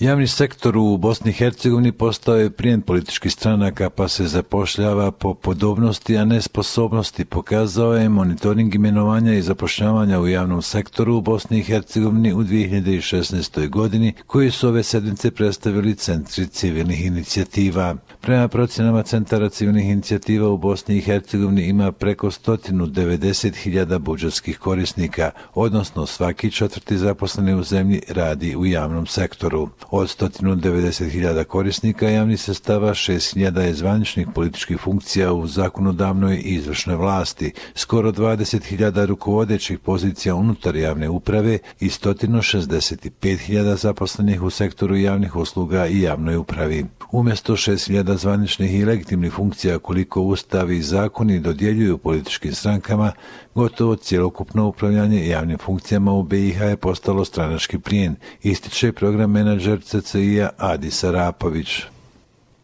Javni sektor u Bosni i Hercegovini postao je plijen političkih stranaka pa se zapošljava po podobnosti, a ne sposobnosti, pokazao je monitoring imenovanja i zapošljavanja u javnom sektoru u Bosni i Hercegovini u 2016. godini, koji su ove sedmice predstavili centri civilnih inicijativa. Prema procjenama centara civilnih inicijativa u Bosni i Hercegovini ima preko 190.000 budžetskih korisnika, odnosno svaki četvrti zaposleni u zemlji radi u javnom sektoru. Od 190.000 korisnika javnih sredstava 6.000 je zvaničnih političkih funkcija u zakonodavnoj i izvršnoj vlasti, skoro 20.000 rukovodećih pozicija unutar javne uprave i 165.000 zaposlenih u sektoru javnih usluga i javnoj upravi. Umjesto 6.000 zvaničnih i legitimnih funkcija koliko ustavi i zakoni dodjeljuju političkim strankama, gotovo cjelokupno upravljanje javnim funkcijama u BiH je postalo stranački plijen, ističe program menadžer CCI-a Adis Arapović.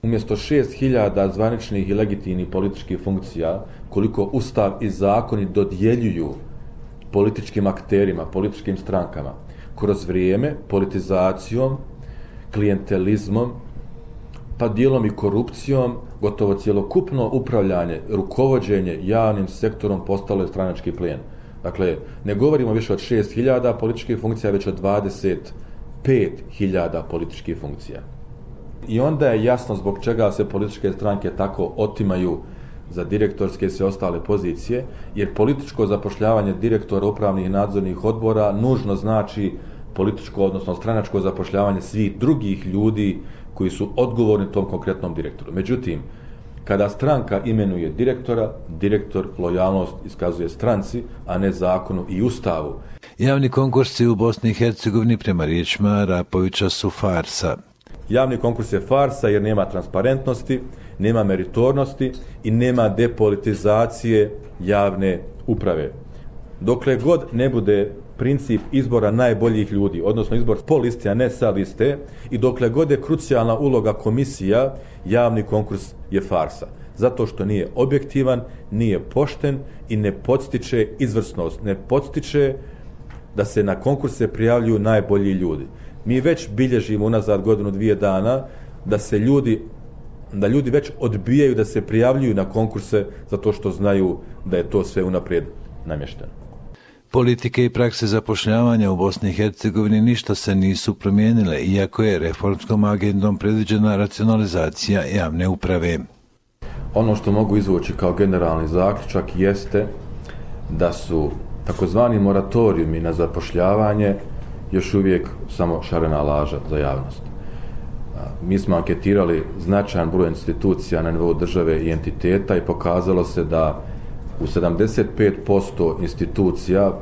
Umjesto 6.000 zvaničnih i legitimnih političkih funkcija, koliko ustav i zakoni dodjeljuju političkim akterima, političkim strankama, kroz vrijeme, politizacijom, klijentelizmom, pa dijelom i korupcijom, gotovo cjelokupno upravljanje, rukovođenje javnim sektorom postalo je stranački plijen. Dakle, ne govorimo više od 6.000 političkih funkcija, već od 25.000 političkih funkcija. I onda je jasno zbog čega se političke stranke tako otimaju za direktorske i sve ostale pozicije, jer političko zapošljavanje direktora upravnih i nadzornih odbora nužno znači političko, odnosno stranačko zapošljavanje svih drugih ljudi koji su odgovorni tom konkretnom direktoru. Međutim, kada stranka imenuje direktora, direktor lojalnost iskazuje stranci, a ne zakonu i ustavu. Javni konkursi u Bosni i Hercegovini prema riječima Arapovića su farsa. Javni konkurs je farsa jer nema transparentnosti, nema meritornosti i nema depolitizacije javne uprave. Dokle god ne bude princip izbora najboljih ljudi, odnosno izbor po listi, a ne sa liste, i dokle god je krucijalna uloga komisija, javni konkurs je farsa. Zato što nije objektivan, nije pošten i ne podstiče izvrsnost, ne podstiče da se na konkurse prijavljuju najbolji ljudi. Mi već bilježimo unazad godinu, 2 dana da ljudi već odbijaju da se prijavljuju na konkurse zato što znaju da je to sve unaprijed namješteno. Politike i prakse zapošljavanja u Bosni i Hercegovini ništa se nisu promijenile, iako je reformskom agendom predviđena racionalizacija javne uprave. Ono što mogu izvući kao generalni zaključak jeste da su takozvani moratorijumi na zapošljavanje još uvijek samo šarena laža za javnost. Mi smo anketirali značajan broj institucija na nivou države i entiteta i pokazalo se da u 75% institucija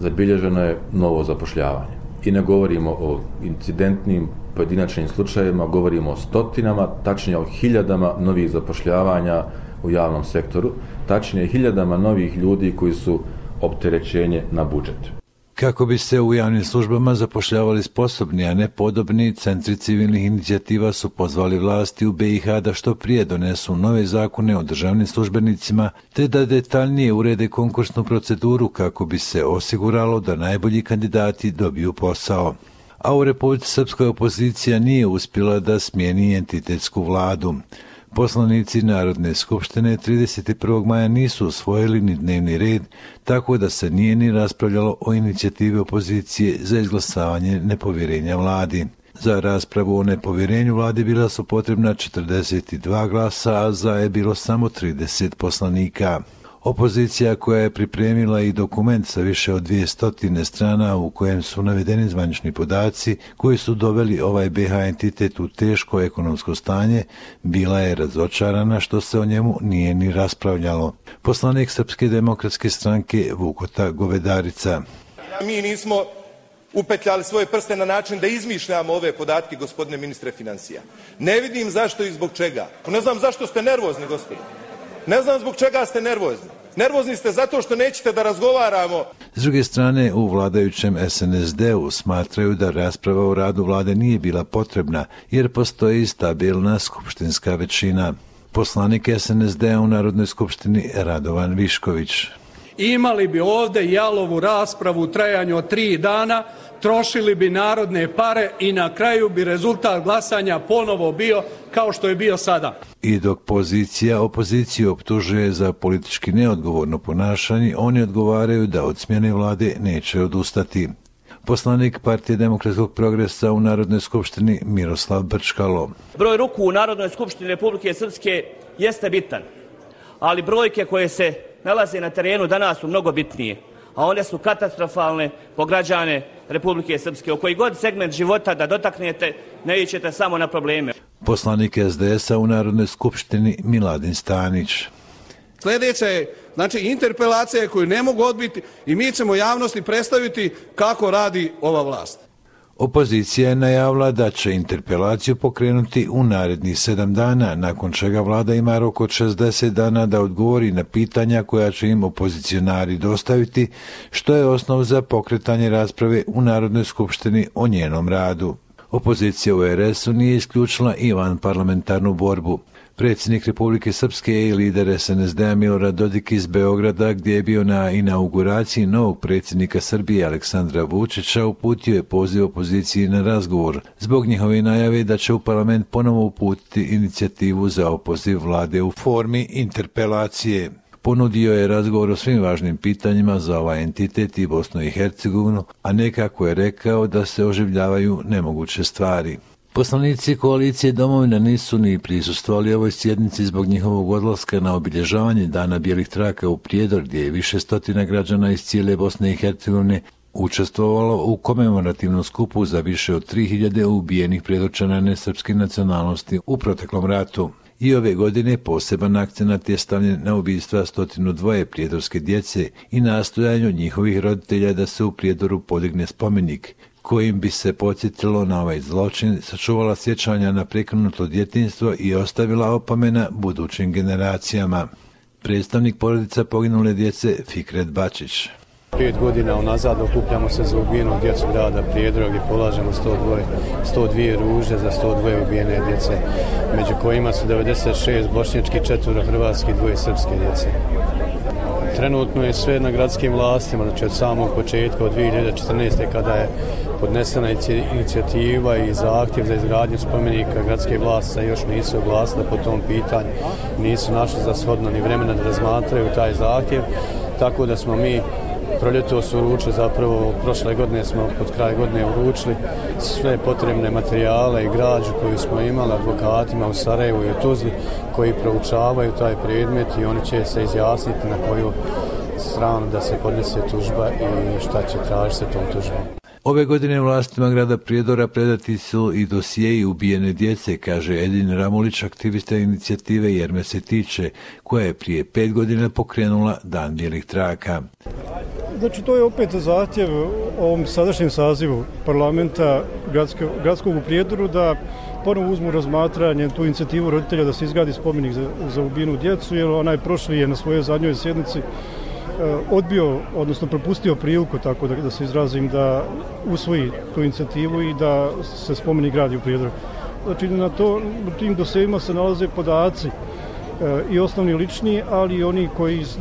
zabilježeno je novo zapošljavanje. I ne govorimo o incidentnim pojedinačnim slučajevima, govorimo o stotinama, tačnije o hiljadama novih zapošljavanja u javnom sektoru, tačnije hiljadama novih ljudi koji su opterećenje na budžet. Kako bi se u javnim službama zapošljavali sposobni, a ne podobni, centri civilnih inicijativa su pozvali vlasti u BiH da što prije donesu nove zakone o državnim službenicima, te da detaljnije urede konkursnu proceduru kako bi se osiguralo da najbolji kandidati dobiju posao. A u Republici Srpskoj opozicija nije uspjela da smijeni entitetsku vladu. Poslanici Narodne skupštine 31. maja nisu usvojili ni dnevni red, tako da se nije ni raspravljalo o inicijativi opozicije za izglasavanje nepovjerenja vladi. Za raspravu o nepovjerenju vladi bila su potrebna 42 glasa, a za je bilo samo 30 poslanika. Opozicija, koja je pripremila i dokument sa više od 200 strana u kojem su navedeni zvanični podaci koji su doveli ovaj BiH entitet u teško ekonomsko stanje, bila je razočarana što se o njemu nije ni raspravljalo. Poslanik Srpske demokratske stranke Vukota Govedarica. Mi nismo upetljali svoje prste na način da izmišljamo ove podatke, gospodine ministre financija. Ne vidim zašto i zbog čega. Ne znam zašto ste nervozni, gospodine. Ne znam zbog čega ste nervozni. Nervozni ste zato što nećete da razgovaramo. S druge strane, u vladajućem SNSD-u smatraju da rasprava o radu vlade nije bila potrebna, jer postoji stabilna skupštinska većina. Poslanik SNSD-a u Narodnoj skupštini Radovan Višković. imali bi ovdje jalovu raspravu u trajanju od 3 dana, trošili bi narodne pare i na kraju bi rezultat glasanja ponovo bio kao što je bio sada. I dok pozicija opoziciju optužuje za politički neodgovorno ponašanje, oni odgovaraju da od smjene vlade neće odustati. Poslanik Partije demokratskog progresa u Narodnoj skupštini Miroslav Brčkalo. Broj ruku u Narodnoj skupštini Republike Srpske jeste bitan, ali brojke koje se nalaze na terenu danas su mnogo bitnije, a one su katastrofalne po građane Republike Srpske. O koji god segment života da dotaknete, ne ićete samo na probleme. Poslanik SDS-a u Narodnoj skupštini Miladin Stanić. Sljedeća je, znači, interpelacija koju ne mogu odbiti i mi ćemo javnosti predstaviti kako radi ova vlast. Opozicija je najavila da će interpelaciju pokrenuti u narednih 7 dana, nakon čega vlada ima rok od 60 dana da odgovori na pitanja koja će im opozicionari dostaviti, što je osnov za pokretanje rasprave u Narodnoj skupštini o njenom radu. Opozicija u RS-u nije isključila i vanparlamentarnu borbu. Predsjednik Republike Srpske i lider SNSD-a Milorad Dodik iz Beograda, gdje je bio na inauguraciji novog predsjednika Srbije Aleksandra Vučića, uputio je poziv opoziciji na razgovor zbog njihove najave da će u parlament ponovo uputiti inicijativu za opoziv vlade u formi interpelacije. Ponudio je razgovor o svim važnim pitanjima za ovaj entitet i Bosnu i Hercegovinu, a nekako je rekao da se oživljavaju nemoguće stvari. Poslanici koalicije Domovina nisu ni prisustvovali ovoj sjednici zbog njihovog odlaska na obilježavanje Dana bijelih traka u Prijedor, gdje je više stotina građana iz cijele Bosne i Hercegovine učestvovalo u komemorativnom skupu za više od 3000 ubijenih Prijedorčana nesrpske nacionalnosti u proteklom ratu. I ove godine poseban akcenat je stavljen na ubistva 102 prijedorske djece i nastojanju njihovih roditelja da se u Prijedoru podigne spomenik, kojim bi se podsjetilo na ovaj zločin, sačuvala sjećanja na prekinuto djetinjstvo i ostavila opomena budućim generacijama. Predstavnik porodica poginule djece Fikret Bačić. 5 godina unazad okupljamo se za ubijenu djecu grada Prijedora gdje polažemo 102 ruže za 102 ubijene djece, među kojima su 96 bošnjački, 4 hrvatski, 2 srpske djece. Trenutno je sve na gradskim vlastima, znači od samog početka, od 2014. kada je podnesena inicijativa i zahtjev za izgradnju spomenika, gradske vlasti se još nisu oglasile po tom pitanju, nisu našli za shodno ni vremena da razmatraju taj zahtjev, tako da smo mi proljetos uručili, zapravo prošle godine smo pod kraj godine uručili sve potrebne materijale i građu koju smo imali advokatima u Sarajevu i u Tuzli koji proučavaju taj predmet i oni će se izjasniti na koju stranu da se podnese tužba i šta će tražiti se tom tužbom. Ove godine vlastima grada Prijedora predati su i dosijeji ubijene djece, kaže Edin Ramulić, aktivista inicijative Jer me se tiče, koja je prije 5 godina pokrenula Dan bijelih traka. Znači, to je opet zahtjev ovom sadašnjem sazivu parlamenta gradskog u Prijedoru da ponovo uzmu razmatranje tu inicijativu roditelja da se izgradi spomenik za ubijenu djecu, jer onaj prošli je na svojoj zadnjoj sjednici odbio, odnosno propustio priliku, tako da se izrazim, da usvoji tu inicijativu i da se spomenik gradi u Prijedoru. Znači, u tim dosjejima se nalaze podaci i osnovni lični, ali i oni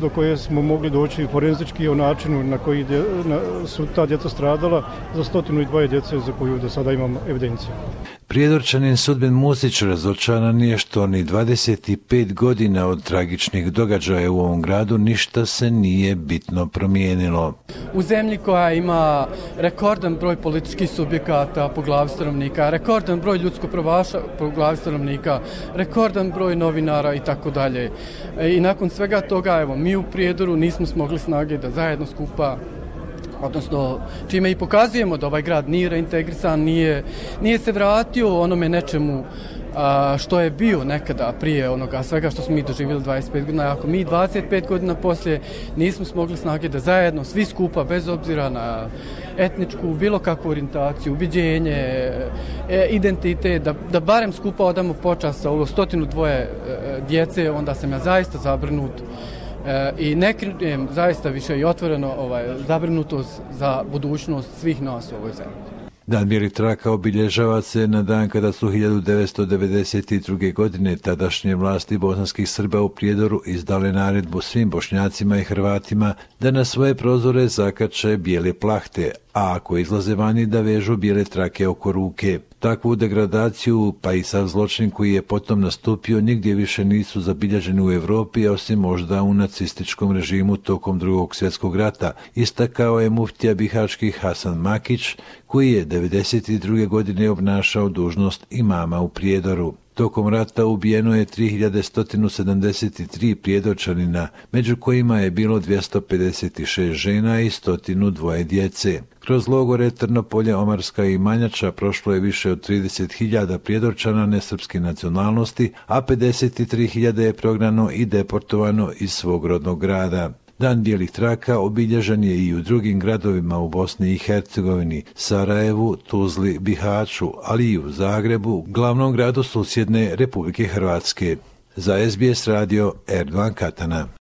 do koje smo mogli doći forenzički o načinu na koji su ta djeca stradala za 102 djece za koju do sada imamo evidenciju. Prijedorčanin Sudbin Musić razočaran je što ni 25 godina od tragičnih događaja u ovom gradu ništa se nije bitno promijenilo. U zemlji koja ima rekordan broj političkih subjekata po glavi stanovnika, rekordan broj ljudsko-pravaša po glavi stanovnika, rekordan broj novinara i tako dalje. I nakon svega toga, evo, mi u Prijedoru nismo smogli snage da zajedno skupa, odnosno čime i pokazujemo da ovaj grad nije reintegrisan, nije se vratio onome nečemu što je bio nekada prije onoga svega što smo mi doživjeli 25 godina. Ako mi 25 godina poslije nismo smogli snage da zajedno svi skupa, bez obzira na etničku, bilo kakvu orijentaciju, ubiđenje, identitet, da barem skupa odamo počast sa ovo 102 djece, onda sam ja zaista zabrinut i ne krijem zaista više i otvoreno zabrinutost za budućnost svih nas u ovoj zemlji. Dan bijelih traka obilježava se na dan kada su 1992. godine tadašnje vlasti bosanskih Srba u Prijedoru izdale naredbu svim Bošnjacima i Hrvatima da na svoje prozore zakače bijele plahte, a ako izlaze vani da vežu bijele trake oko ruke. Takvu degradaciju, pa i sav zločin koji je potom nastupio, nigdje više nisu zabilježeni u Europi, osim možda u nacističkom režimu tokom Drugog svjetskog rata, istakao je muftija bihački Hasan Makić, koji je 1992. godine obnašao dužnost imama u Prijedoru. Tokom rata ubijeno je 3173 prijedorčanina, među kojima je bilo 256 žena i 102 djece. Kroz logore Trnopolje, Omarska i Manjača prošlo je više od 30.000 prijedorčana nesrpske nacionalnosti, a 53.000 je prognano i deportovano iz svog rodnog grada. Dan bijelih traka obilježen je i u drugim gradovima u Bosni i Hercegovini, Sarajevu, Tuzli, Bihaću, ali i u Zagrebu, glavnom gradu susjedne Republike Hrvatske. Za SBS radio Erdogan Katana.